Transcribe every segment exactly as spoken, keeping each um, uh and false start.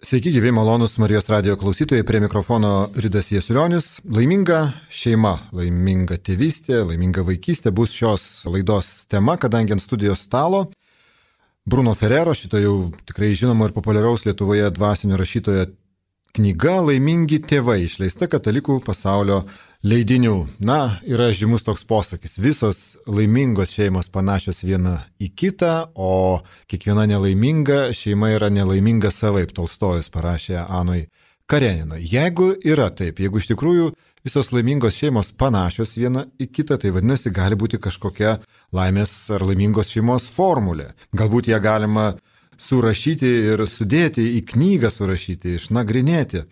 Sveiki, gyvi malonus Marijos radijo klausytojai, prie mikrofono Ridas Jasiulionis. Laiminga šeima, laiminga tėvystė, laiminga vaikystė bus šios laidos tema, kadangi ant studijos stalo Bruno Ferrero, šito jau tikrai žinomo ir populiaraus Lietuvoje dvasinio rašytojo knyga Laimingi tėvai, išleista Katalikų pasaulio leidinių. Na, yra žymus toks posakis, visos laimingos šeimos panašios viena į kitą, o kiekviena nelaiminga šeima yra nelaiminga savaip, Tolstojus parašė Anoj Kareninoj. Jeigu yra taip, jeigu iš tikrųjų visos laimingos šeimos panašios viena į kitą, tai vadinasi, gali būti kažkokia laimės ar laimingos šeimos formulė. Galbūt ją galima surašyti ir sudėti į knygą, surašyti, išnagrinėti.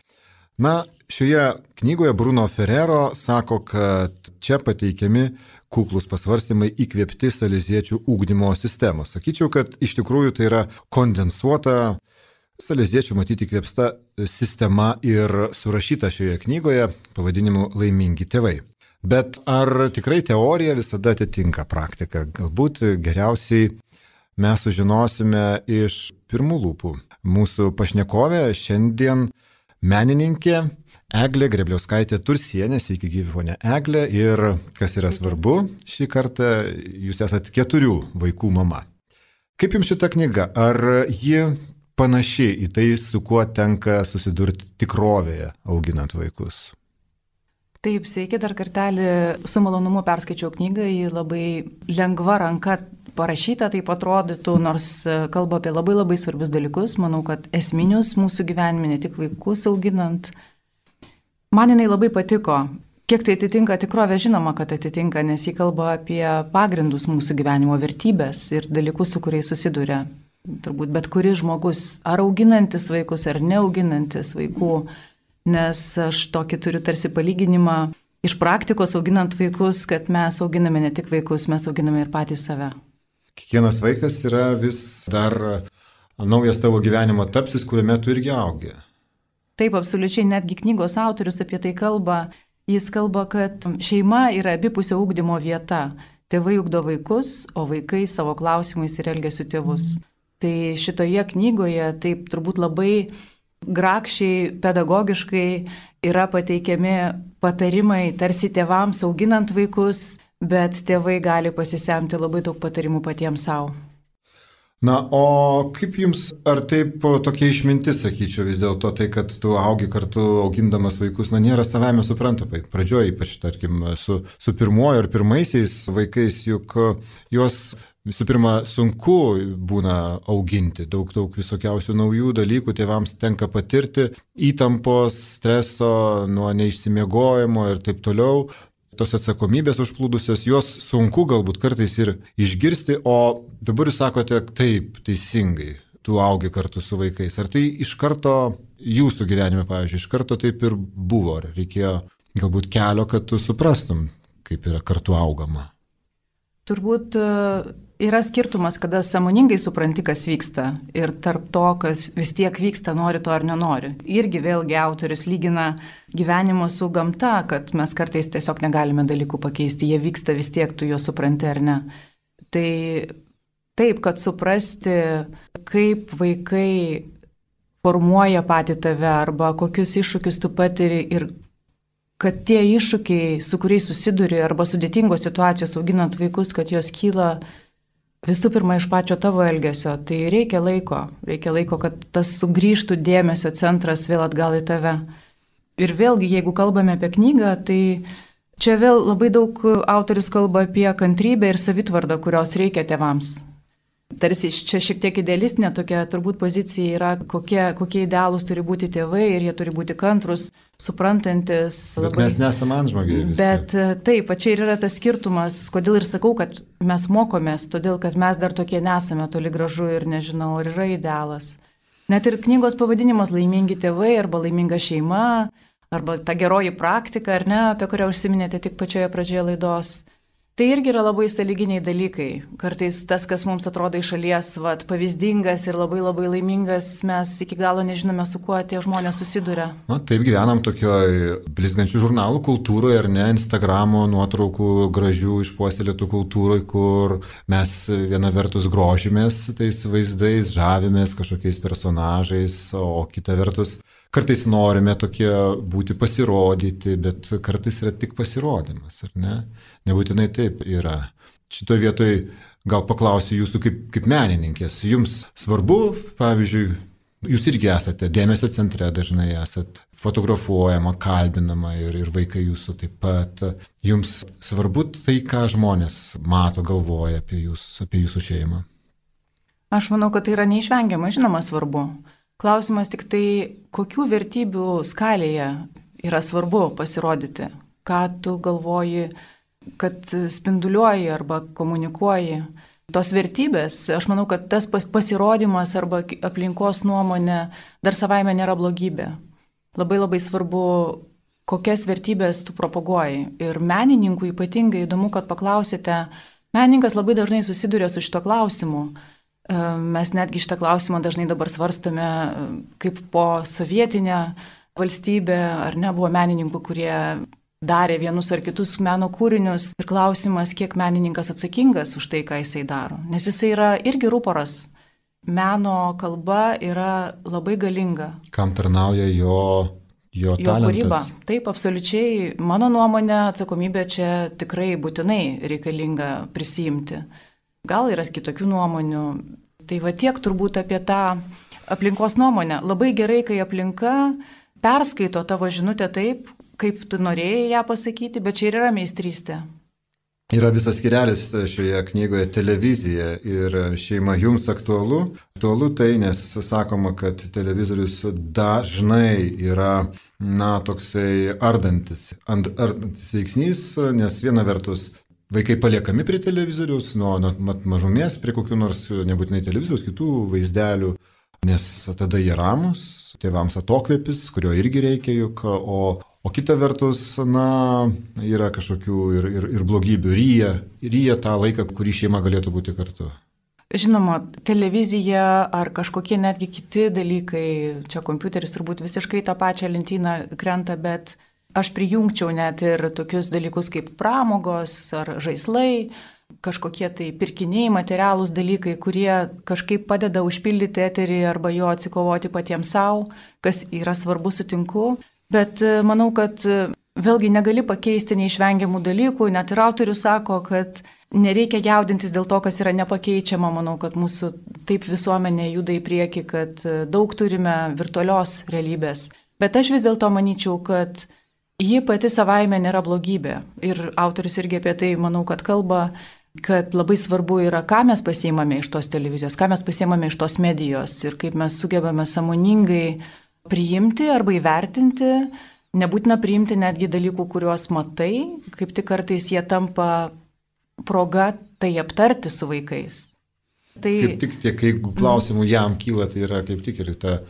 Na, šioje knygoje Bruno Ferrero sako, kad čia pateikiami kuklus pasvarstymai įkvėpti saleziečių ugdymo sistemos. Sakyčiau, kad iš tikrųjų tai yra kondensuota saleziečių matyti įkvėpsta sistema ir surašyta šioje knygoje pavadinimu Laimingi tėvai. Bet ar tikrai teorija visada atitinka praktiką? Galbūt geriausiai mes sužinosime iš pirmų lūpų. Mūsų pašnekovė šiandien menininkė Eglė Grebliauskaitė Tursienė. Sveiki, gyvi ponia Eglė. Ir kas yra svarbu, šį kartą jūs esate keturių vaikų mama. Kaip jums šita knyga? Ar ji panaši į tai, su kuo tenka susidurti tikrovėje auginant vaikus? Taip, sveiki, dar kartelį su malonumu perskaičiau knygą, ji labai lengva ranka parašyta, taip atrodytų, nors kalba apie labai labai svarbius dalykus, manau, kad esminius mūsų gyvenime, ne tik vaikus auginant. Man jinai labai patiko. Kiek tai atitinka tikrovę, žinoma, kad atitinka, nes ji kalba apie pagrindus mūsų gyvenimo, vertybės ir dalykus, su kuriais susiduria. Turbūt bet kuris žmogus, ar auginantis vaikus, ar neauginantis vaikų, nes aš tokį turiu tarsi palyginimą iš praktikos auginant vaikus, kad mes auginame ne tik vaikus, mes auginame ir patys save. Kiekvienas vaikas yra vis dar naujas tavo gyvenimo tapsis, kuriame tu irgi augi. Taip, absoliučiai, netgi knygos autorius apie tai kalba. Jis kalba, kad šeima yra abipusio ugdymo vieta. Tėvai ugdo vaikus, o vaikai savo klausimais ir elgesiu tėvus. Tai šitoje knygoje taip turbūt labai grakščiai, pedagogiškai yra pateikiami patarimai tarsi tėvams auginant vaikus, bet tėvai gali pasisemti labai daug patarimų patiems savo. Na, o kaip jums, ar taip tokia išmintis, sakyčiau, vis dėlto tai, kad tu augi kartu augindamas vaikus, na, nėra savame suprantama. Pradžioje, ypač, tarkim, su, su pirmuoju ar pirmaisiais vaikais, juk juos visų pirma sunku būna auginti, daug, daug visokiausių naujų dalykų tėvams tenka patirti, įtampos, streso, nuo neišsimiegojimo ir taip toliau. Tos atsakomybės užplūdusios, juos sunku galbūt kartais ir išgirsti, o dabar jūs sakote taip, teisingai, tu augi kartu su vaikais. Ar tai iš karto jūsų gyvenime, pavyzdžiui, iš karto taip ir buvo, ar reikėjo galbūt kelio, kad tu suprastum, kaip yra kartu augama? Turbūt yra skirtumas, kada sąmoningai supranti, kas vyksta ir tarp to, kas vis tiek vyksta, nori to ar nenori. Irgi vėlgi autorius lygina gyvenimo su gamta, kad mes kartais tiesiog negalime dalykų pakeisti, jie vyksta vis tiek, tu juos supranti ar ne. Tai taip, kad suprasti, kaip vaikai formuoja patį tave arba kokius iššūkius tu patiri ir kad tie iššūkiai, su kuriais susiduri arba sudėtingos situacijos auginant vaikus, kad jos kyla visų pirma iš pačio tavo elgesio, tai reikia laiko. Reikia laiko, kad tas sugrįžtų dėmesio centras vėl atgal į tave. Ir vėlgi, jeigu kalbame apie knygą, tai čia vėl labai daug autorius kalba apie kantrybę ir savitvardą, kurios reikia tėvams. Tarsi čia šiek tiek idealistinė tokia turbūt pozicija yra, kokie, kokie idealūs turi būti tėvai ir jie turi būti kantrus, suprantantis. Bet labai... mes nesame antžmogiai visi. Bet taip, čia ir yra tas skirtumas, kodėl ir sakau, kad mes mokomės, todėl kad mes dar tokie nesame toli gražu ir nežinau, ar yra idealas. Net ir knygos pavadinimas Laimingi tėvai arba Laiminga šeima, arba ta geroji praktika, ar ne, apie kurią užsiminėte tik pačioje pradžioje laidos. Tai irgi yra labai sąlyginiai dalykai. Kartais tas, kas mums atrodo iš šalies vat, pavyzdingas ir labai labai laimingas, mes iki galo nežinome, su kuo tie žmonės susiduria. Na, taip gyvenam tokioj blizgančių žurnalų kultūroje, ar ne, Instagramo nuotraukų gražių išpuoselėtų kultūroje, kur mes viena vertus grožimės tais vaizdais, žavimės kažkokiais personažais, o kita vertus kartais norime tokie būti pasirodyti, bet kartais yra tik pasirodymas, ar ne? Nebūtinai taip yra. Šitoje vietoje gal paklausiu jūsų kaip, kaip menininkės. Jums svarbu, pavyzdžiui, jūs irgi esate dėmesio centre, dažnai esat fotografuojama, kalbinama ir, ir vaikai jūsų taip pat. Jums svarbu tai, ką žmonės mato, galvoja apie jūs, apie jūsų šeimą? Aš manau, kad tai yra neišvengiama, žinoma, svarbu. Klausimas tik tai, kokių vertybių skalėje yra svarbu pasirodyti, ką tu galvoji, kad spinduliuoji arba komunikuoji. Tos vertybės, aš manau, kad tas pasirodymas arba aplinkos nuomonė dar savaime nėra blogybė. Labai labai svarbu, kokias vertybės tu propaguoji. Ir menininkų ypatingai įdomu, kad paklausėte, menininkas labai dažnai susiduria su šito klausimu. Mes netgi šitą klausimą dažnai dabar svarstome kaip po sovietinę valstybę, ar ne, buvo menininkų, kurie darė vienus ar kitus meno kūrinius ir klausimas, kiek menininkas atsakingas už tai, ką jisai daro. Nes jisai yra irgi ruporas. Meno kalba yra labai galinga. Kam tarnauja jo, jo, jo talentas? Kūryba. Taip, absoliučiai. Mano nuomonė, atsakomybė čia tikrai būtinai reikalinga prisijimti. Gal yra kitokių nuomonių. Tai va tiek turbūt apie tą aplinkos nuomonę. Labai gerai, kai aplinka perskaito tavo žinutę taip, kaip tu norėjai ją pasakyti, bet čia ir yra meistrystė. Yra visas skyrelis šioje knygoje televizija ir šeima jums aktualu. Aktualu tai, nes sakoma, kad televizorius dažnai yra, na, toksai ardantis, ardantis veiksnys, nes viena vertus vaikai paliekami prie televizoriaus, nuo, nuo mažumės prie kokių nors nebūtinai televizijos, kitų vaizdelių, nes tada jie ramus, tėvams atokvėpis, kurio irgi reikia juk, o O kita vertus, na, yra kažkokių ir, ir, ir blogybių, ryja, ryja tą laiką, kurį šeima galėtų būti kartu. Žinoma, televizija ar kažkokie netgi kiti dalykai, čia kompiuteris turbūt visiškai tą pačią lentyną krenta, bet aš prijungčiau net ir tokius dalykus kaip pramogos ar žaislai, kažkokie tai pirkiniai, materialūs dalykai, kurie kažkaip padeda užpildyti eterį arba jo atsikovoti patiems savo, kas yra svarbu, sutinku. Bet manau, kad vėlgi negali pakeisti neišvengiamų dalykų, net ir autorius sako, kad nereikia jaudintis dėl to, kas yra nepakeičiama. Manau, kad mūsų taip visuomenė juda į priekį, kad daug turime virtualios realybės. Bet aš vis dėlto manyčiau, kad ji pati savaime nėra blogybė. Ir autorius irgi apie tai, manau, kad kalba, kad labai svarbu yra, ką mes pasiimame iš tos televizijos, ką mes pasiimame iš tos medijos ir kaip mes sugebame sąmoningai priimti arba įvertinti, nebūtina priimti netgi dalykų, kuriuos matai, kaip tik kartais jie tampa proga tai aptarti su vaikais. Tai... Kaip tik tiek, jeigu klausimų jam kyla, tai yra kaip tik ir ta,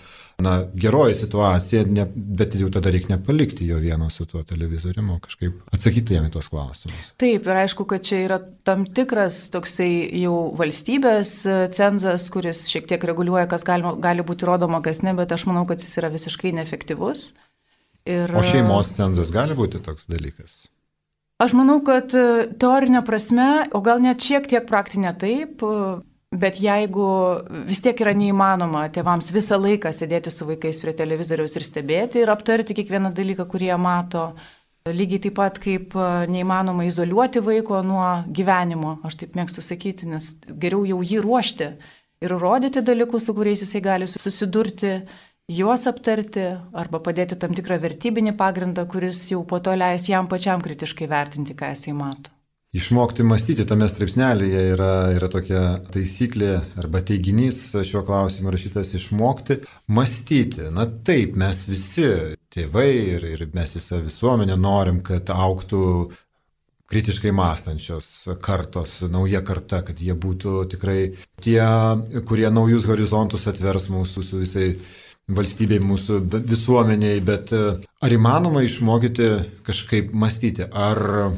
na, geroji situacija, ne, bet jau tada reikia nepalikti jo vieno su tuo televizoriumi, kažkaip atsakyti jam į tos klausimus. Taip, ir aišku, kad čia yra tam tikras toksai jau valstybės cenzas, kuris šiek tiek reguliuoja, kas gali, gali būti rodoma, kas ne, bet aš manau, kad jis yra visiškai neefektyvus. Ir... O šeimos cenzas gali būti toks dalykas? Aš manau, kad teorinė prasme, o gal net šiek tiek praktinė taip, bet jeigu vis tiek yra neįmanoma tėvams visą laiką sėdėti su vaikais prie televizoriaus ir stebėti ir aptarti kiekvieną dalyką, kurį jie mato, lygiai taip pat kaip neįmanoma izoliuoti vaiko nuo gyvenimo, aš taip mėgstu sakyti, nes geriau jau jį ruošti ir rodyti dalykus, su kuriais jisai gali susidurti, juos aptarti arba padėti tam tikrą vertybinį pagrindą, kuris jau po to leis jam pačiam kritiškai vertinti, ką jisai mato. Išmokti mąstyti tame straipsnelėje yra, yra tokia taisyklė arba teiginys šiuo klausimu rašytas išmokti mąstyti. Na taip, mes visi tėvai ir, ir mes visą visuomenę norim, kad augtų kritiškai mąstančios kartos, nauja karta, kad jie būtų tikrai tie, kurie naujus horizontus atvers mūsų su visai valstybei, mūsų visuomeniai, bet ar įmanoma išmokyti kažkaip mąstyti, ar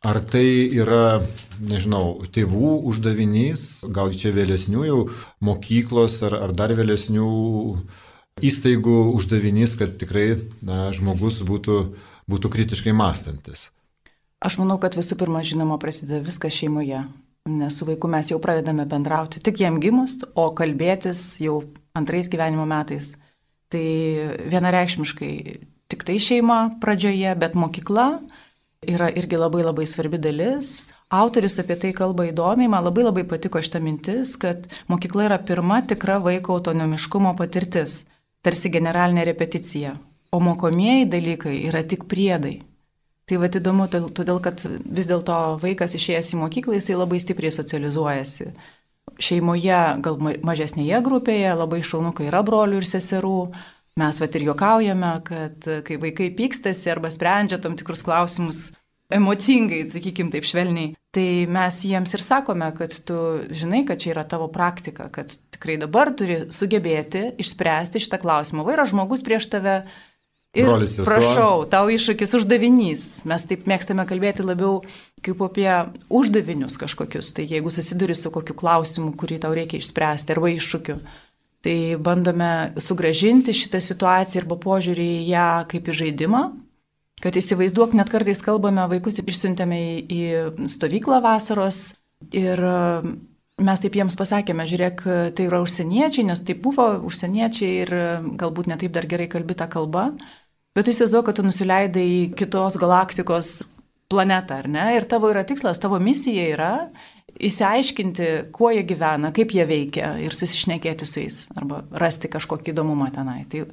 Ar tai yra, nežinau, tėvų uždavinys, gal čia vėlesnių jau mokyklos ar, ar dar vėlesnių įstaigų uždavinys, kad tikrai na, žmogus būtų, būtų kritiškai mąstantis? Aš manau, kad visų pirma, žinoma, prasideda viskas šeimoje, nes su vaiku mes jau pradedame bendrauti tik jam gimus, o kalbėtis jau antrais gyvenimo metais. Tai vienareikšmiškai tik tai šeima pradžioje, bet mokykla yra irgi labai labai svarbi dalis. Autorius apie tai kalba įdomiai, man labai labai patiko šita mintis, kad mokykla yra pirma tikra vaiko autonomiškumo patirtis, tarsi generalinė repeticija, o mokomieji dalykai yra tik priedai. Tai va įdomu, todėl kad vis dėlto vaikas išėjęs į mokyklą, jisai labai stipriai socializuojasi. Šeimoje, gal mažesnėje grupėje, labai šaunu, kai yra brolių ir seserų. Mes vat ir juokaujame, kad kai vaikai pykstasi arba sprendžia tam tikrus klausimus emocingai, sakykim taip švelniai, tai mes jiems ir sakome, kad tu žinai, kad čia yra tavo praktika, kad tikrai dabar turi sugebėti išspręsti šitą klausimą. Va yra žmogus prieš tave ir Brolis, prašau, tau iššūkis uždavinys. Mes taip mėgstame kalbėti labiau kaip apie uždavinius kažkokius. Tai jeigu susiduri su kokiu klausimu, kurį tau reikia išspręsti arba iššūkiu, tai bandome sugrąžinti šitą situaciją arba požiūrį į ją kaip į žaidimą, kad įsivaizduok, net kartais kalbame, vaikus išsiuntėme į, į stovyklą vasaros ir mes taip jiems pasakėme, žiūrėk, tai yra užsieniečiai, nes tai buvo užsieniečiai ir galbūt netaip dar gerai kalbi tą kalbą, bet tu įsivaizduok, kad tu nusileidai į kitos galaktikos planetą, ar ne? Ir tavo yra tikslas, tavo misija yra įsiaiškinti, kuo jie gyvena, kaip jie veikia ir susišnekėti su jais, arba rasti kažkokį įdomumą tenai. Tai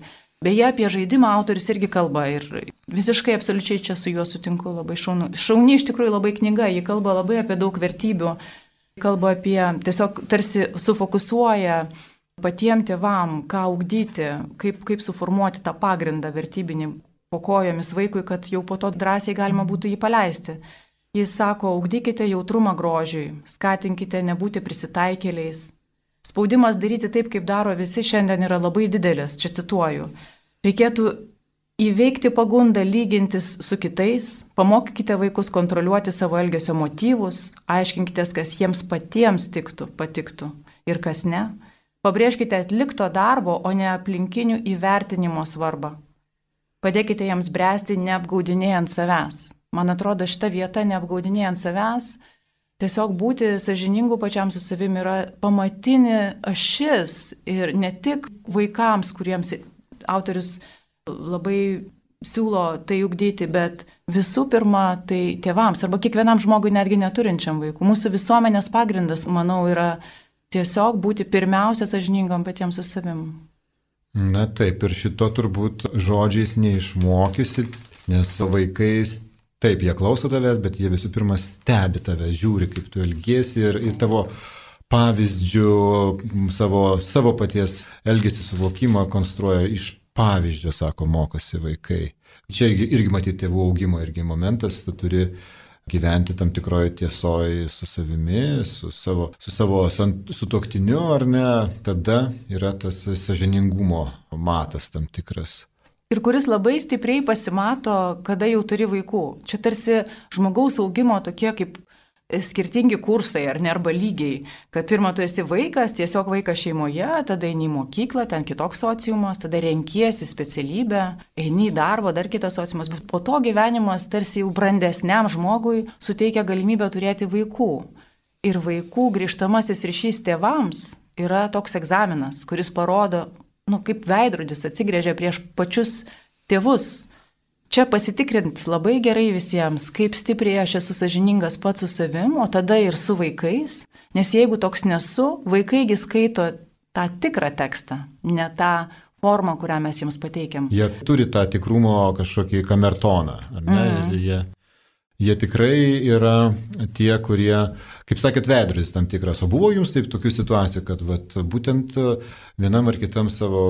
beje, apie žaidimą autorius irgi kalba ir visiškai absoliučiai čia su juo sutinku, labai šaunu. Šauni iš tikrųjų labai knyga, ji kalba labai apie daug vertybių, kalba apie, tiesiog tarsi sufokusuoja patiem tėvam, ką ugdyti, kaip, kaip suformuoti tą pagrindą vertybinį po kojomis vaikui, kad jau po to drąsiai galima būtų jį paleisti. Jis sako, ugdykite jautrumą grožiui, skatinkite nebūti prisitaikėliais. Spaudimas daryti taip, kaip daro visi, šiandien yra labai didelis, čia cituoju. Reikėtų įveikti pagundą lygintis su kitais, pamokykite vaikus kontroliuoti savo elgesio motyvus, aiškinkite, kas jiems patiems tiktų, patiktų ir kas ne. Pabrėžkite atlikto darbo, o ne aplinkinių įvertinimo svarbą. Padėkite jiems bręsti neapgaudinėjant savęs. Man atrodo, šita vieta neapgaudinėjant savęs, tiesiog būti sąžiningu pačiam su savimi yra pamatinė ašis ir ne tik vaikams, kuriems autorius labai siūlo tai ugdyti, bet visų pirma tai tėvams arba kiekvienam žmogui netgi neturinčiam vaikų. Mūsų visuomenės pagrindas, manau, yra tiesiog būti pirmiausia sąžiningam patiems su savimi. Na taip, ir šito turbūt žodžiais neišmokysi, nes vaikais taip, jie klauso tavęs, bet jie visų pirma stebi tave, žiūri, kaip tu elgiesi ir, ir tavo pavyzdžių, savo, savo paties elgesį suvokimą konstruoja iš pavyzdžio, sako, mokosi vaikai. Čia irgi matyti tėvų augimo irgi momentas, tu turi gyventi tam tikroje tiesoje su savimi, su savo, su savo sutuoktiniu, ar ne, tada yra tas sąžiningumo matas tam tikras. Ir kuris labai stipriai pasimato, kada jau turi vaikų. Čia tarsi žmogaus augimo tokie kaip skirtingi kursai, ar ne, arba lygiai. Kad pirmą tu esi vaikas, tiesiog vaikas šeimoje, tada eini į mokyklą, ten kitoks sociumas, tada renkiesi specialybę, eini į darbą, dar kitas sociumas. Bet po to gyvenimas tarsi jau brandesniam žmogui suteikia galimybę turėti vaikų. Ir vaikų grįžtamasis ryšys tėvams yra toks egzaminas, kuris parodo, nu, kaip veidrodis atsigrėžia prieš pačius tėvus. Čia pasitikrinti labai gerai visiems, kaip stipriai aš esu sąžiningas pats su savim, o tada ir su vaikais, nes jeigu toks nesu, vaikaigi skaito tą tikrą tekstą, ne tą formą, kurią mes jiems pateikiam. Jie turi tą tikrumo kažkokį kamertoną, ar ne? Mm. Ir jie, jie tikrai yra tie, kurie, kaip sakėt, veidrodis tam tikras. O buvo jums taip tokių situacijų, kad vat, būtent vienam ar kitam savo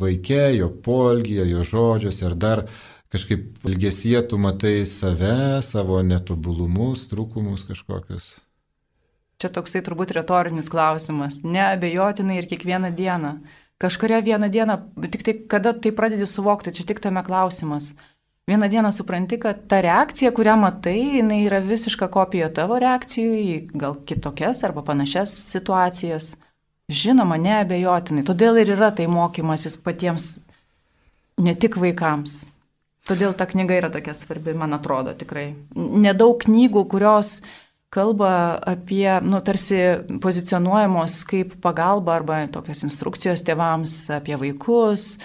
vaike, jo poelgyje, jo žodžiuose, ar dar kažkaip elgesyje tu matai save, savo netobulumus, trūkumus kažkokius? Čia toksai turbūt retorinis klausimas. Neabejotinai ir kiekvieną dieną. Kažkuria vieną dieną, tik tai kada tai pradedi suvokti, čia tik tame klausimas. vieną dieną supranti, kad ta reakcija, kurią matai, jinai yra visiška kopija tavo reakcijų į gal kitokias arba panašias situacijas. Žinoma, neabejotinai. Todėl ir yra tai mokymasis patiems, ne tik vaikams. Todėl ta knyga yra tokia svarbi, man atrodo, tikrai. Nedaug knygų, kurios kalba apie, nu, tarsi pozicionuojamos kaip pagalba arba tokios instrukcijos tėvams apie vaikus,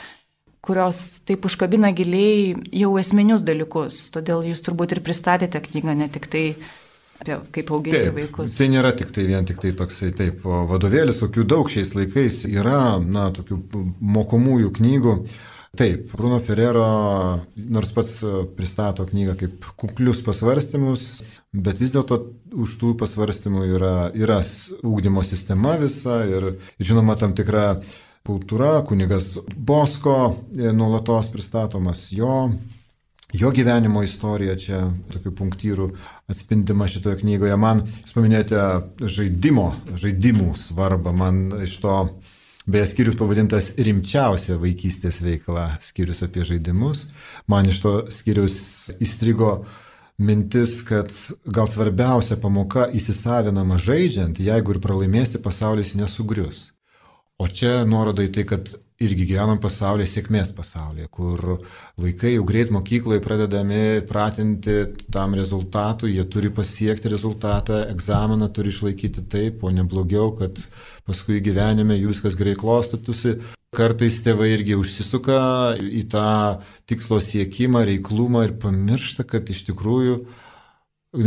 kurios taip užkabina giliai jau esminius dalykus. Todėl jūs turbūt ir pristatėte knygą, ne tik tai apie kaip auginti taip, vaikus. Tai nėra tik tai vien tik tai toksai taip vadovėlis, kokių daug šiais laikais yra, na, tokių mokomųjų knygų. Taip, Bruno Ferrero, nors pats pristato knygą kaip kuklius pasvarstymus, bet vis dėlto už tų pasvarstymų yra, yra ugdymo sistema visa ir, žinoma, tam tikra kultūra, kunigas Bosko nuolatos pristatomas, jo, jo gyvenimo istorija čia tokių punktyrų atspindima šitoje knygoje. Man, jūs paminėjote žaidimo, žaidimų svarbą, man iš to beje, skyrius pavadintas rimčiausia vaikystės veikla, skyrius apie žaidimus. Man iš to skyrius įstrigo mintis, kad gal svarbiausia pamoka įsisavinama žaidžiant, jeigu ir pralaimėsi, pasaulis nesugrius. O čia nuoroda į tai, kad irgi gyvenam pasaulyje, sėkmės pasaulyje, kur vaikai jau greit mokykloje pradedami pratinti tam rezultatui, jie turi pasiekti rezultatą, egzaminą turi išlaikyti taip, o ne blogiau, kad paskui gyvenime jų viskas gerai klostytųsi. Kartais tėvai irgi užsisuka į tą tikslo siekimą, reiklumą ir pamiršta, kad iš tikrųjų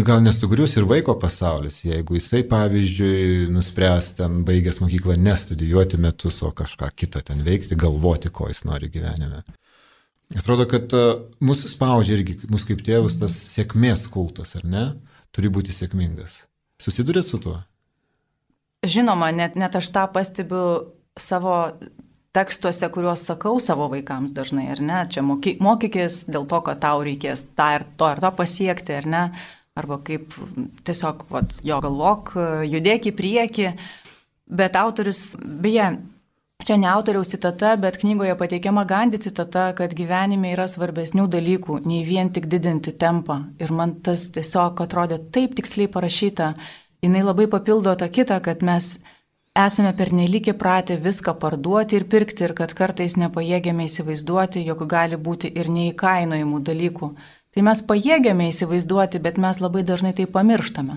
gal nesugrius ir vaiko pasaulis, jeigu jisai, pavyzdžiui, nuspręs ten baigęs mokyklą nestudijuoti metus, o kažką kitą ten veikti, galvoti, ko jis nori gyvenime. Atrodo, kad mus spaudžia irgi, mus kaip tėvus, tas sėkmės kultas, ar ne? Turi būti sėkmingas. Susidurėt su tuo? Žinoma, net, net aš tą pastebiu savo tekstuose, kuriuos sakau savo vaikams dažnai, ar ne? Čia moky, mokykis dėl to, kad tau reikės tą ir to ir to pasiekti, ar ne? Arba kaip tiesiog, vat, jo galvok, judėk į priekį. Bet autorius, beje, čia ne autoriaus citata, bet knygoje pateikiama Gandhi citata, kad gyvenime yra svarbesnių dalykų, nei vien tik didinti tempą. Ir man tas tiesiog atrodė taip tiksliai parašyta. Jinai labai papildo tą kitą, kad mes esame pernelyg įpratę viską parduoti ir pirkti ir kad kartais nepajėgėme įsivaizduoti, jog gali būti ir neįkainojimų dalykų. Tai mes pajėgėme įsivaizduoti, bet mes labai dažnai tai pamirštame.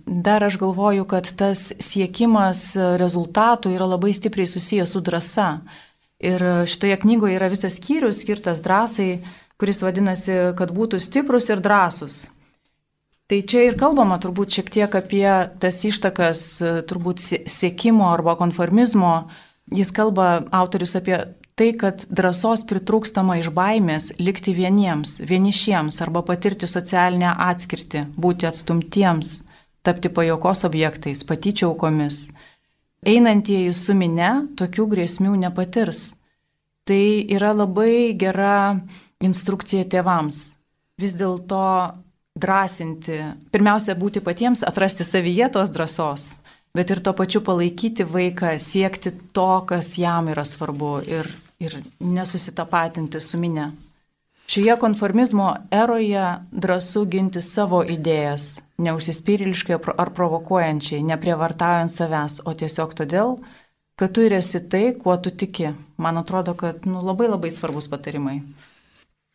Dar aš galvoju, kad tas siekimas rezultatų yra labai stipriai susijęs su drąsa. Ir šitoje knygoje yra visas skyrius skirtas drąsai, kuris vadinasi, kad būtų stiprus ir drąsus. Tai čia ir kalbama turbūt šiek tiek apie tas ištakas, turbūt siekimo arba konformizmo. Jis kalba, autorius, apie tai, kad drąsos pritrūkstama iš baimės likti vieniems, vienišiems arba patirti socialinę atskirtį, būti atstumtiems, tapti pajuokos objektais, patyčių aukomis. Einantieji su mine tokių grėsmių nepatirs. Tai yra labai gera instrukcija tėvams. Vis dėlto drąsinti, pirmiausia, būti patiems, atrasti savyje tos drąsos, bet ir tuo pačiu palaikyti vaiką, siekti to, kas jam yra svarbu ir, ir nesusitapatinti su mine. Šioje konformizmo eroje drąsu ginti savo idėjas, neužsispyriliškai ar provokuojančiai, neprievartaujant savęs, o tiesiog todėl, kad tu ir esi tai, kuo tu tiki. Man atrodo, kad nu, labai labai svarbus patarimai.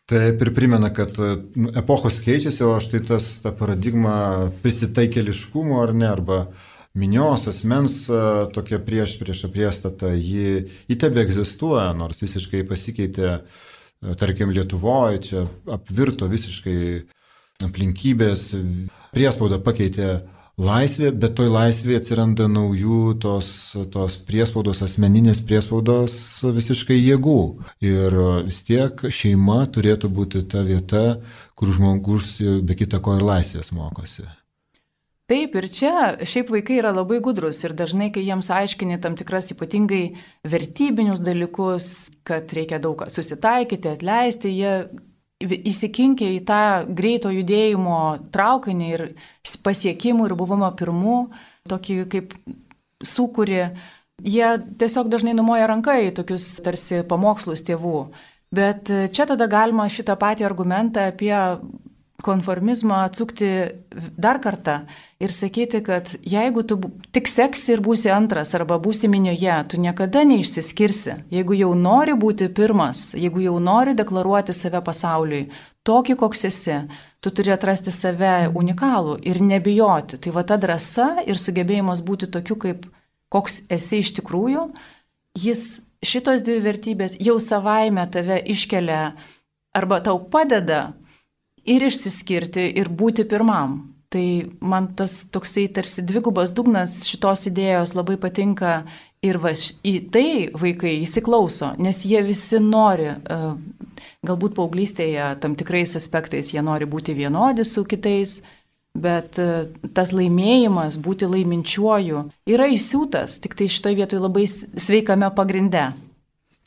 Taip ir primena, kad nu, epochos keičiasi, o štai tas ta paradigma prisitaikėliškumo ar ne, arba minios asmens tokia prieš prieš priešstata, ji, ji tebe egzistuoja, nors visiškai pasikeitė, tarkim, Lietuvoje, čia apvirto visiškai aplinkybės, priespaudą pakeitė laisvė, bet toj laisvėje atsiranda naujų tos, tos priespaudos, asmeninės priespaudos visiškai jėgų. Ir vis tiek šeima turėtų būti ta vieta, kur žmogus be kita ko ir laisvės mokosi. Taip, ir čia šiaip vaikai yra labai gudrus ir dažnai, kai jiems aiškini tam tikras ypatingai vertybinius dalykus, kad reikia daug susitaikyti, atleisti, jie įsikinkia į tą greito judėjimo traukinį ir pasiekimų ir buvimo pirmų, tokį kaip sukūrį, jie tiesiog dažnai numoja ranką į tokius tarsi pamokslus tėvų. Bet čia tada galima šitą patį argumentą apie konformizmą atsukti dar kartą ir sakyti, kad jeigu tu tik seksi ir būsi antras arba būsi minioje, tu niekada neišsiskirsi. Jeigu jau nori būti pirmas, jeigu jau nori deklaruoti save pasauliui, tokį koks esi, tu turi atrasti save unikalų ir nebijoti. Tai va ta drąsa ir sugebėjimas būti tokiu, kaip koks esi iš tikrųjų, jis šitos dvi vertybės jau savaime tave iškelia arba tau padeda ir išsiskirti, ir būti pirmam. Tai man tas toksai tarsi dvigubas dugnas šitos idėjos labai patinka ir va, į tai vaikai įsiklauso, nes jie visi nori, galbūt paauglystėje tam tikrais aspektais jie nori būti vienodi su kitais, bet tas laimėjimas, būti laiminčiuoju, yra įsiūtas, tik tai šitoj vietoj labai sveikame pagrinde.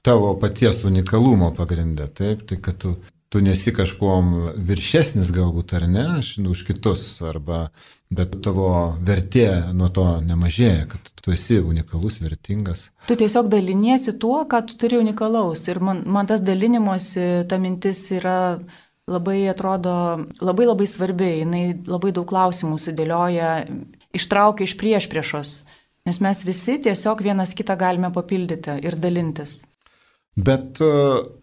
Tavo paties unikalumo pagrinde, taip, tai kad tu tu nesi kažkuom viršesnis galbūt ar ne, už kitus, arba, bet tavo vertė nuo to nemažėja, kad tu esi unikalus, vertingas. Tu tiesiog daliniesi tuo, ką tu turi unikalaus. Ir man, man tas dalinimuose, ta mintis yra labai, atrodo, labai labai svarbi. Jinai labai daug klausimų sudėlioja, ištraukia iš priešpriešos. Nes mes visi tiesiog vienas kitą galime papildyti ir dalintis. Bet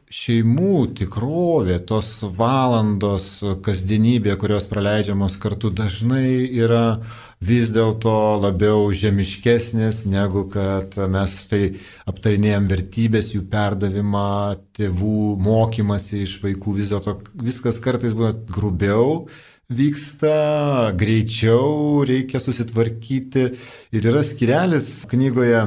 šeimų tikrovė, tos valandos kasdienybė, kurios praleidžiamos kartu, dažnai yra vis dėlto labiau žemiškesnės, negu kad mes tai aptarinėjom vertybės, jų perdavimą, tėvų mokymasi iš vaikų. Vis dėlto viskas kartais būna grubiau vyksta, greičiau reikia susitvarkyti. Ir yra skyrelis knygoje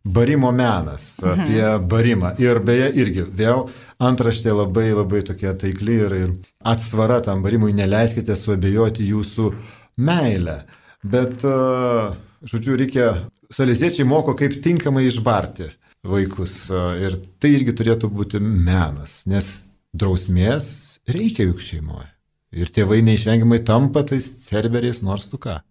Barimo menas, apie barimą. Ir beje, irgi vėl antraštė labai labai tokia taikli ir, ir atsvara tam barimui, neleiskite suabejoti jūsų meilę. Bet, žodžiu, reikia, saleziečiai moko, kaip tinkamai išbarti vaikus. Ir tai irgi turėtų būti menas, nes drausmės reikia juk šeimoje. Ir tėvai neišvengiamai tampa tais cerberiais, nors tu ką.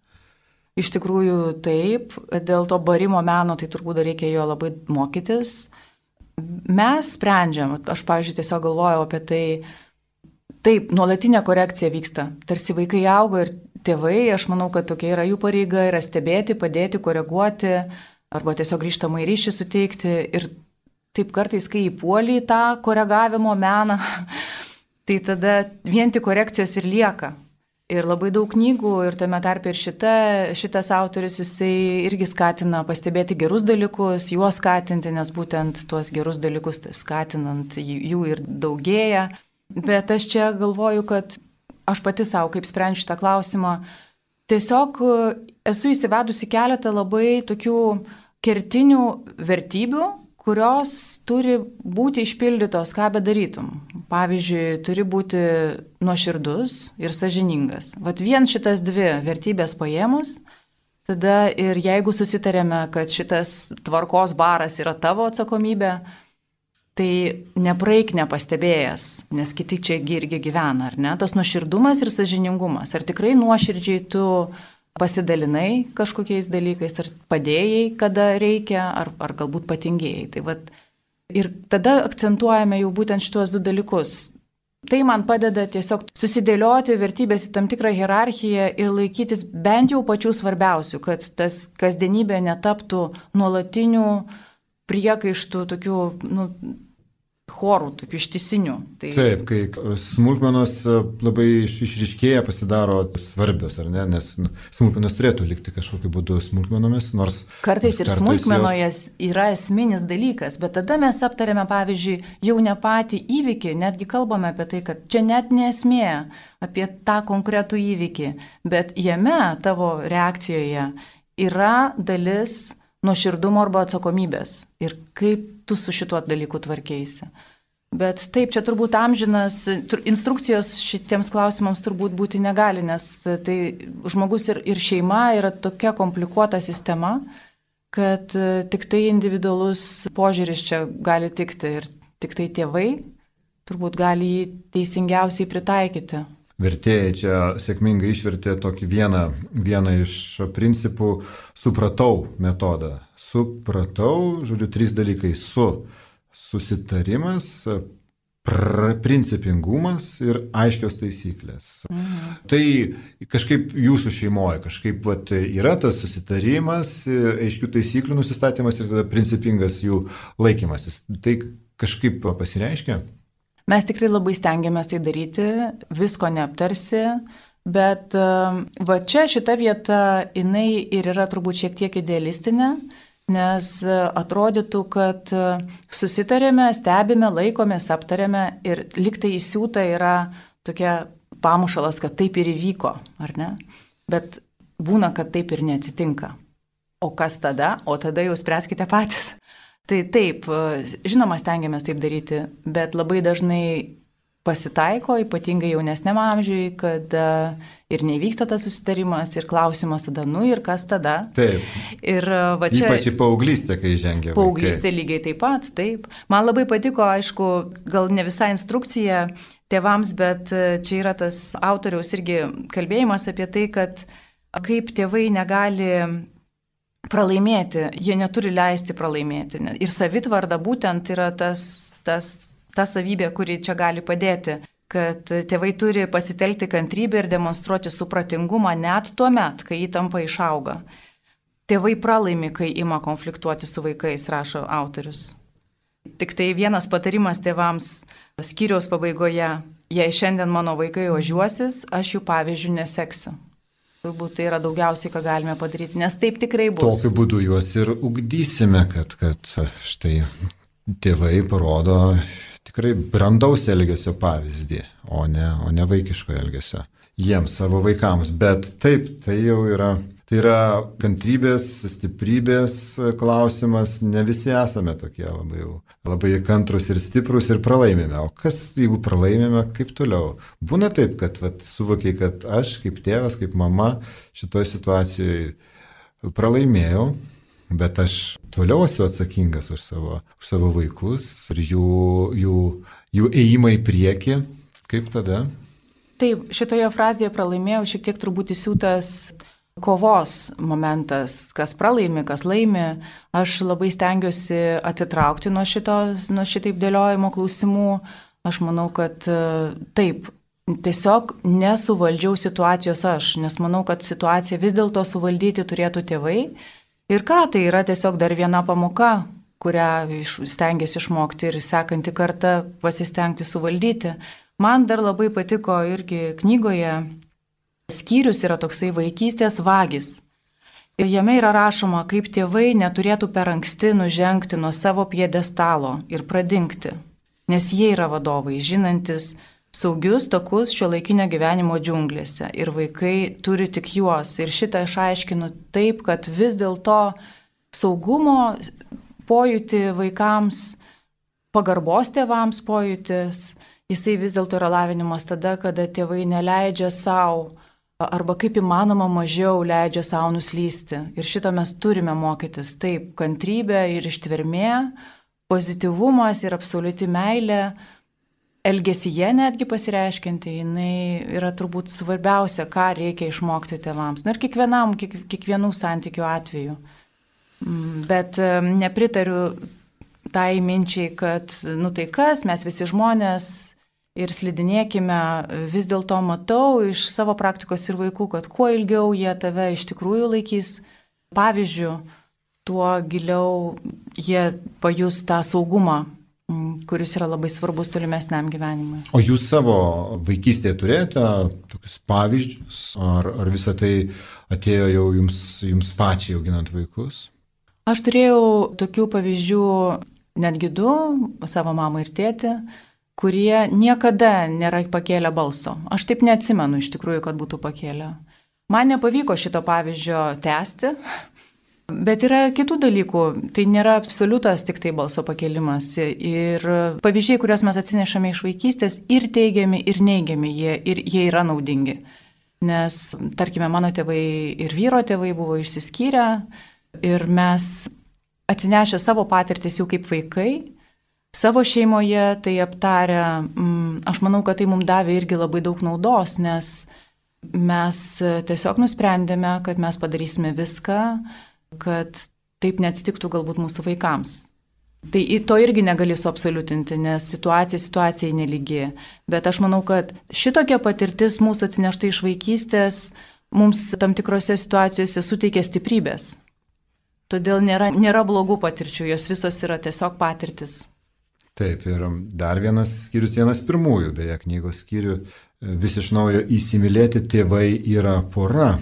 Iš tikrųjų taip, dėl to barimo meno tai turbūt reikia jo labai mokytis. Mes sprendžiam, aš, pavyzdžiui, tiesiog galvojau apie tai, taip, nuolatinė korekcija vyksta, tarsi vaikai auga ir tėvai, aš manau, kad tokia yra jų pareiga, yra stebėti, padėti, koreguoti, arba tiesiog grįžtamą į ryšį suteikti. Ir taip kartais, kai įpuoli į tą koregavimo meną, tai tada vien tik korekcijos ir lieka. Ir labai daug knygų, ir tame tarpe ir šita, šitas autorius, jisai irgi skatina pastebėti gerus dalykus, juos skatinti, nes būtent tuos gerus dalykus skatinant jų ir daugėja. Bet aš čia galvoju, kad aš pati savo, kaip sprendžiu šitą klausimą, tiesiog esu įsivedusi keletą labai tokių kertinių vertybių, kurios turi būti išpildytos, ką bedarytum. Pavyzdžiui, turi būti nuoširdus ir sąžiningas. Vat vien šitas dvi vertybės paėmus, tada ir jeigu susitarėme, kad šitas tvarkos baras yra tavo atsakomybė, tai nepraeik nepastebėjęs, nes kiti čia irgi gyvena, ar ne? Tas nuoširdumas ir sąžiningumas. Ar tikrai nuoširdžiai tu pasidalinai kažkokiais dalykais, ar padėjai, kada reikia, ar, ar galbūt patingėjai. Tai vat, ir tada akcentuojame jau būtent šituos du dalykus. Tai man padeda tiesiog susidėlioti vertybės į tam tikrą hierarchiją ir laikytis bent jau pačių svarbiausių, kad tas kasdienybė netaptų nuolatinių priekaištų, tokių, nu, chorų, tokių ištisinių. Tai... Taip, kai smulkmenos labai išryškėja, pasidaro svarbios, ar ne? Nes nu, smulkmenos turėtų likti kažkokiu būdu smulkmenomis, nors... Kartais ir kartais smulkmenoje jos... yra esminis dalykas, bet tada mes aptarėme, pavyzdžiui, jau ne patį įvykį, netgi kalbame apie tai, kad čia net nesmė apie tą konkretų įvykį, bet jame tavo reakcijoje yra dalis nuoširdumo arba atsakomybės ir kaip tu su šituo dalyku tvarkeisi. Bet taip, čia turbūt amžinas, instrukcijos šitiems klausimams turbūt būti negali, nes tai žmogus ir, ir šeima yra tokia komplikuota sistema, kad tik tai individualus požiūris čia gali tikti ir tik tai tėvai turbūt gali jį teisingiausiai pritaikyti. Vertėjai čia sėkmingai išvertė tokį vieną, vieną iš principų supratau metodą. Supratau, žodžiu, trys dalykai. Su susitarimas, pr principingumas ir aiškios taisyklės. Mhm. Tai kažkaip jūsų šeimoje, kažkaip vat, yra tas susitarimas, aiškių taisyklių nusistatymas ir tada principingas jų laikymasis. Tai kažkaip pasireiškia? Mes tikrai labai stengiamės tai daryti, visko neaptarsi. Bet va čia šita vieta, jinai ir yra turbūt šiek tiek idealistinė, nes atrodytų, kad susitarėme, stebime, laikomės, aptarėme ir liktai įsiūta yra tokia pamušalas, kad taip ir įvyko, ar ne? Bet būna, kad taip ir neatsitinka. O kas tada? O tada jau spręskite patys. Tai taip, žinoma, stengiamės taip daryti, bet labai dažnai pasitaiko, ypatingai jaunesniam amžiui, kad ir nevyksta tas susitarimas ir klausimas tada, nu ir kas tada. Taip. Ir va čia... Ypač į paauglystę, kai žengia vaikai. Paauglystė lygiai taip pat, taip. Man labai patiko, aišku, gal ne visai instrukcija tėvams, bet čia yra tas autoriaus irgi kalbėjimas apie tai, kad kaip tėvai negali pralaimėti, jie neturi leisti pralaimėti. Ir savitvarda būtent yra tas... tas ta savybė, kuri čia gali padėti, kad tėvai turi pasitelkti kantrybę ir demonstruoti supratingumą net tuo met, kai įtampa išauga. Tėvai pralaimi, kai ima konfliktuoti su vaikais, rašo autorius. Tik tai vienas patarimas tėvams skyriaus pabaigoje, jei šiandien mano vaikai ožiuosis, aš jų pavyzdžių neseksiu. Turbūt tai yra daugiausiai, ką galime padaryti, nes taip tikrai bus. Tokiu būdu juos ir ugdysime, kad, kad štai tėvai parodo tikrai brandaus elgesio pavyzdį, o ne, o ne vaikiško elgesio jiems, savo vaikams. Bet taip, tai jau yra, tai yra kantrybės, stiprybės klausimas. Ne visi esame tokie labai, labai kantrus ir stiprus ir pralaimime. O kas, jeigu pralaimime, kaip toliau? Būna taip, kad vat, suvokiai, kad aš kaip tėvas, kaip mama šitoje situacijoje pralaimėjau. Bet aš toliau esu atsakingas už savo, už savo vaikus ir jų, jų, jų ėjimą į priekį. Kaip tada? Taip, šitoje frazėje pralaimėjau šiek tiek turbūt įsiūtas kovos momentas, kas pralaimi, kas laimi. Aš labai stengiuosi atsitraukti nuo, šito, nuo šitaip dėliojimo klausimų. Aš manau, kad taip, tiesiog nesuvaldžiau situacijos aš, nes manau, kad situaciją vis dėlto suvaldyti turėtų tėvai. Ir ką, tai yra tiesiog dar viena pamoka, kurią stengiasi išmokti ir sekantį kartą pasistengti suvaldyti. Man dar labai patiko irgi knygoje, skyrius yra toksai vaikystės vagis. Ir jame yra rašoma, kaip tėvai neturėtų per anksti nužengti nuo savo pjedestalo ir pradingti, nes jie yra vadovai, žinantis saugius takus šiuolaikinio gyvenimo džiunglėse ir vaikai turi tik juos. Ir šitą aš aiškinu taip, kad vis dėlto saugumo pojūtį vaikams, pagarbos tėvams pojūtis, jisai vis dėlto yra lavinimas tada, kada tėvai neleidžia savo arba kaip įmanoma mažiau leidžia savo nuslysti. Ir šito mes turime mokytis. Taip, kantrybė ir ištvermė, pozityvumas ir absoliuti meilė, elgesyje netgi pasireiškinti, jinai yra turbūt svarbiausia, ką reikia išmokti tėvams. Nu ir kiekvienam, kiek, kiekvienų santykių atveju. Bet nepritariu tai minčiai, kad, nu tai kas, mes visi žmonės ir slidinėkime, vis dėlto matau iš savo praktikos ir vaikų, kad kuo ilgiau jie tave iš tikrųjų laikys pavyzdžių, tuo giliau jie pajus tą saugumą, kuris yra labai svarbus tolimesniam gyvenimui. O jūs savo vaikystėje turėjote tokius pavyzdžius, ar, ar visą tai atėjo jau jums, jums pačiai auginant vaikus? Aš turėjau tokių pavyzdžių netgi du, savo mamą ir tėtį, kurie niekada nėra pakėlę balso. Aš taip neatsimenu iš tikrųjų, kad būtų pakėlę. Man nepavyko šito pavyzdžio tęsti. Bet yra kitų dalykų, tai nėra absoliutas tik tai balso pakėlimas. Ir pavyzdžiai, kuriuos mes atsinešame iš vaikystės, ir teigiami, ir neigiami, jie, ir jie yra naudingi. Nes, tarkime, mano tėvai ir vyro tėvai buvo išsiskyrę ir mes atsinešę savo patirtis jau kaip vaikai, savo šeimoje tai aptarę, aš manau, kad tai mums davė irgi labai daug naudos, nes mes tiesiog nusprendėme, kad mes padarysime viską, kad taip neatsitiktų galbūt mūsų vaikams. Tai to irgi negali suabsoliutinti, nes situacija situacijai nelygi. Bet aš manau, kad šitokia patirtis mūsų atsinešta iš vaikystės mums tam tikrose situacijose suteikia stiprybės. Todėl nėra, nėra blogų patirčių, jos visos yra tiesiog patirtis. Taip, ir dar vienas skyrius, vienas pirmųjų, beje, knygos skyrių, vis iš naujo įsimylėti tėvai yra pora.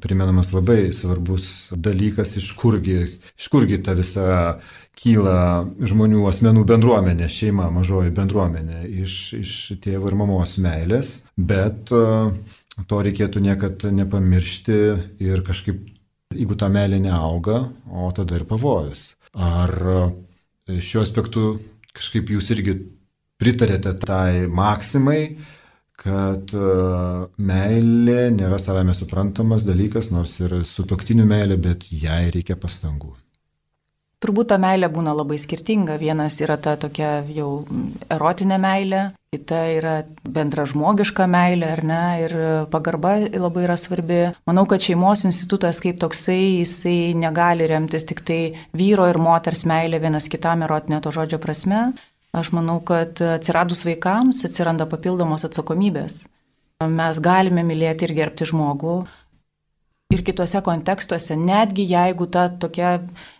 Primenamas labai svarbus dalykas, iš kurgi, iš kurgi ta visa kyla žmonių asmenų bendruomenė, šeima, mažoji bendruomenė, iš, iš tėvo ir mamos meilės, bet to reikėtų niekad nepamiršti ir kažkaip, jeigu ta meilė neauga, o tada ir pavojus. Ar šiuo aspektu kažkaip jūs irgi pritarėte tai maksimai, kad meilė nėra savame suprantamas dalykas, nors ir sutuoktinių meilė, bet jai reikia pastangų? Turbūt ta meilė būna labai skirtinga. Vienas yra ta tokia jau erotinė meilė, kita yra bendražmogiška meilė, ar ne, ir pagarba labai yra svarbi. Manau, kad šeimos institutas kaip toksai, jisai negali remtis tik tai vyro ir moters meilė vienas kitam erotinė to žodžio prasme. Aš manau, kad atsiradus vaikams atsiranda papildomos atsakomybės. Mes galime mylėti ir gerbti žmogų ir kitose kontekstuose, netgi jeigu ta tokia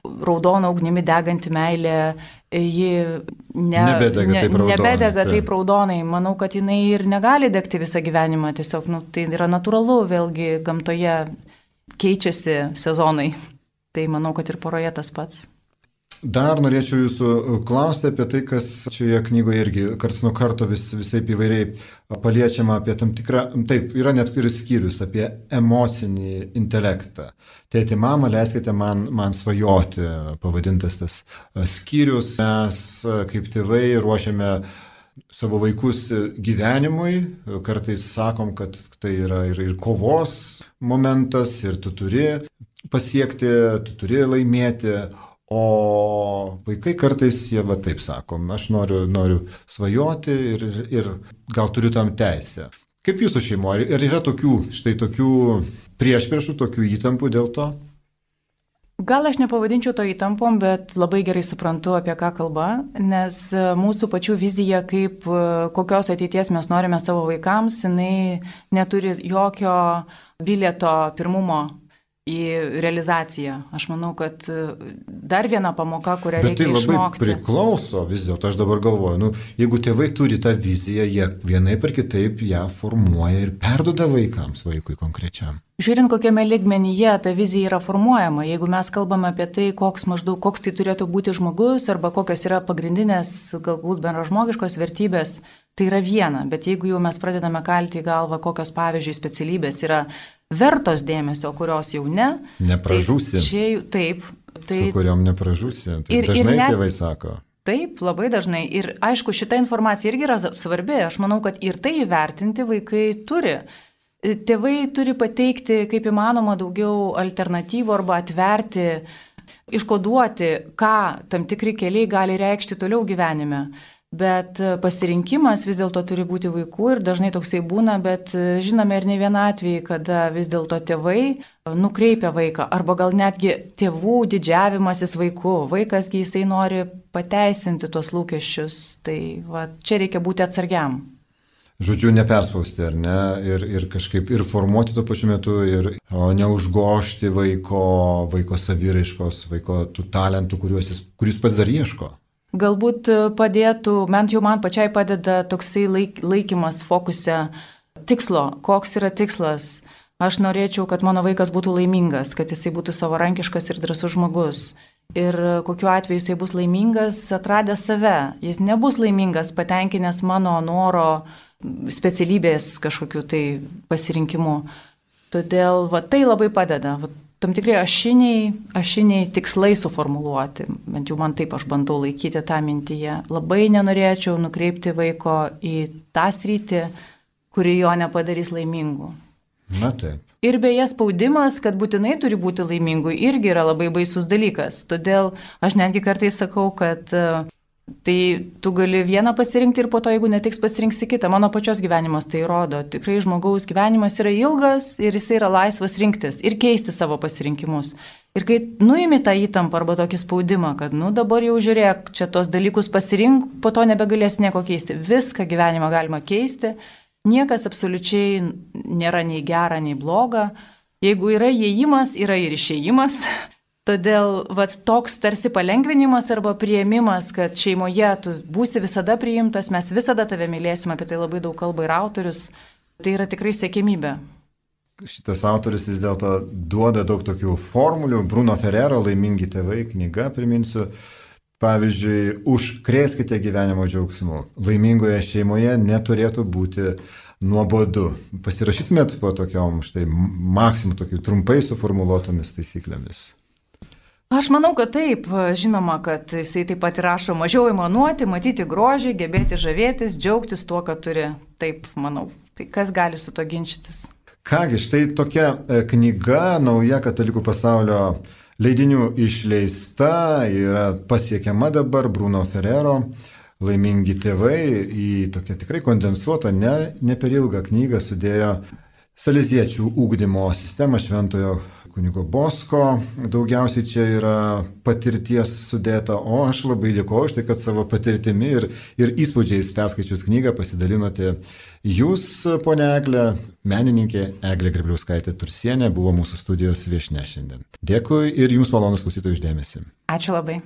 raudona ugnimi deganti meilė, ji ne, nebedega ne, taip raudonai. Nebedega taip raudonai. Manau, kad jinai ir negali degti visą gyvenimą. Tiesiog nu, tai yra natūralu, vėlgi gamtoje keičiasi sezonai. Tai manau, kad ir poroje tas pats. Dar norėčiau jūsų klausti apie tai, kas šioje knygoje irgi karts nuo karto vis, visaip įvairiai paliečiama apie tam tikrą, taip, yra net ir skyrius apie emocinį intelektą. Tėti, mama, leiskite man, man svajoti, pavadintas tas skyrius. Mes kaip tėvai ruošiame savo vaikus gyvenimui, kartais sakom, kad tai yra ir, ir kovos momentas, ir tu turi pasiekti, tu turi laimėti. O vaikai kartais jie va taip sakom, aš noriu, noriu svajoti ir, ir gal turiu tam teisę. Kaip jūsų šeimo, ar yra tokių, štai tokių priešpriešų, tokių įtampų dėl to? Gal aš nepavadinčiau to įtampom, bet labai gerai suprantu, apie ką kalba, nes mūsų pačių vizija, kaip kokios ateities mes norime savo vaikams, jinai neturi jokio bilieto pirmumo į realizaciją. Aš manau, kad dar viena pamoka, kurią bet reikia išmokti. Bet tai labai priklauso vis dėlto, aš dabar galvoju, nu, jeigu tėvai turi tą viziją, jie vienaip ar kitaip ją formuoja ir perduoda vaikams, vaikui konkrečiam. Žiūrint, kokiame lygmenyje ta vizija yra formuojama, jeigu mes kalbame apie tai, koks maždaug, koks tai turėtų būti žmogus, arba kokios yra pagrindinės, galbūt bendražmogiškos vertybės, tai yra viena, bet jeigu jau mes pradedame kalti į galvą, kokios pavyzdžiui specialybės yra vertos dėmesio, kurios jau ne. Nepražūsi. Tai čia, taip. Tai, su kuriuom nepražūsi. Tai ir, dažnai ir net, tėvai sako. Taip, labai dažnai. Ir aišku, šita informacija irgi yra svarbi. Aš manau, kad ir tai įvertinti vaikai turi. Tėvai turi pateikti kaip įmanoma daugiau alternatyvų arba atverti, iškoduoti, ką tam tikri keliai gali reikšti toliau gyvenime. Bet pasirinkimas vis dėlto turi būti vaikų ir dažnai toksai būna, bet žinome ir ne vieną atvejį, kada vis dėlto tėvai nukreipia vaiką, arba gal netgi tėvų didžiavimasis vaiku. Vaikasgi jisai nori pateisinti tuos lūkesčius, tai va, čia reikia būti atsargiam. Žodžiu, neperspausti, ar ne, ir, ir kažkaip ir formuoti tuo pačiu metu, ir o, neužgošti vaiko, vaiko saviraiškos, vaiko tų talentų, kuriuos jis, kuris pats dar ieško. Galbūt padėtų, bent jau man pačiai padeda toksai laik, laikymas fokuse tikslo, koks yra tikslas. Aš norėčiau, kad mano vaikas būtų laimingas, kad jisai būtų savarankiškas ir drąsus žmogus. Ir kokiu atveju jisai bus laimingas, atradęs save. Jis nebus laimingas, patenkinęs mano noro specialybės kažkokiu tai pasirinkimu. Todėl va, tai labai padeda. Va, tam tikrai ašiniai, ašiniai tikslai suformuluoti, bent jau man taip aš bandau laikyti tą mintyje. Labai nenorėčiau nukreipti vaiko į tą sritį, kuri jo nepadarys laimingu. Na taip. Ir beje, spaudimas, kad būtinai turi būti laimingu, irgi yra labai baisus dalykas. Todėl aš netgi kartais sakau, kad tai tu gali vieną pasirinkti ir po to, jeigu netiks, pasirinksi kitą. Mano pačios gyvenimas tai rodo. Tikrai žmogaus gyvenimas yra ilgas ir jis yra laisvas rinktis ir keisti savo pasirinkimus. Ir kai nuimi tą įtampą arba tokį spaudimą, kad, nu, dabar jau žiūrėk, čia tos dalykus pasirink, po to nebegalės nieko keisti. Viską gyvenimą galima keisti. Niekas absoliučiai nėra nei gera, nei bloga. Jeigu yra įėjimas, yra ir išėjimas. Todėl vat, toks tarsi palengvinimas arba priėmimas, kad šeimoje tu būsi visada priimtas, mes visada tave mylėsime, apie tai labai daug kalba ir autorius. Tai yra tikrai siekiamybė. Šitas autorius vis dėlto duoda daug tokių formulių. Bruno Ferrero Laimingi tėvai knyga, priminsiu. Pavyzdžiui, užkrėskite gyvenimo džiaugsmu. Laimingoje šeimoje neturėtų būti nuobodu. Pasirašytumėt po tokiom štai maksimum tokių trumpai suformuluotomis taisyklėmis? Aš manau, kad taip. Žinoma, kad jisai taip pat rašo mažiau aimanuoti, matyti grožį, gebėti žavėtis, džiaugtis tuo, ką turi. Taip, manau. Tai kas gali su to ginčytis? Kągi, štai tokia knyga, nauja Katalikų pasaulio leidinių išleista, yra pasiekiama dabar Bruno Ferrero Laimingi tėvai, į tokią tikrai kondensuotą, ne, ne per ilgą knygą sudėjo saleziečių ugdymo sistemą Šventojo kunigo Bosko. Daugiausiai čia yra patirties sudėta, o aš labai dėkoju už tai, kad savo patirtimi ir, ir įspūdžiais perskaičius knygą pasidalinote. Jūs, ponia Eglė, menininkė Eglė Grėbliauskaitė Tursienė, buvo mūsų studijos viešnia šiandien. Dėkui ir jums malonus klausytojų uždėmesį. Ačiū labai.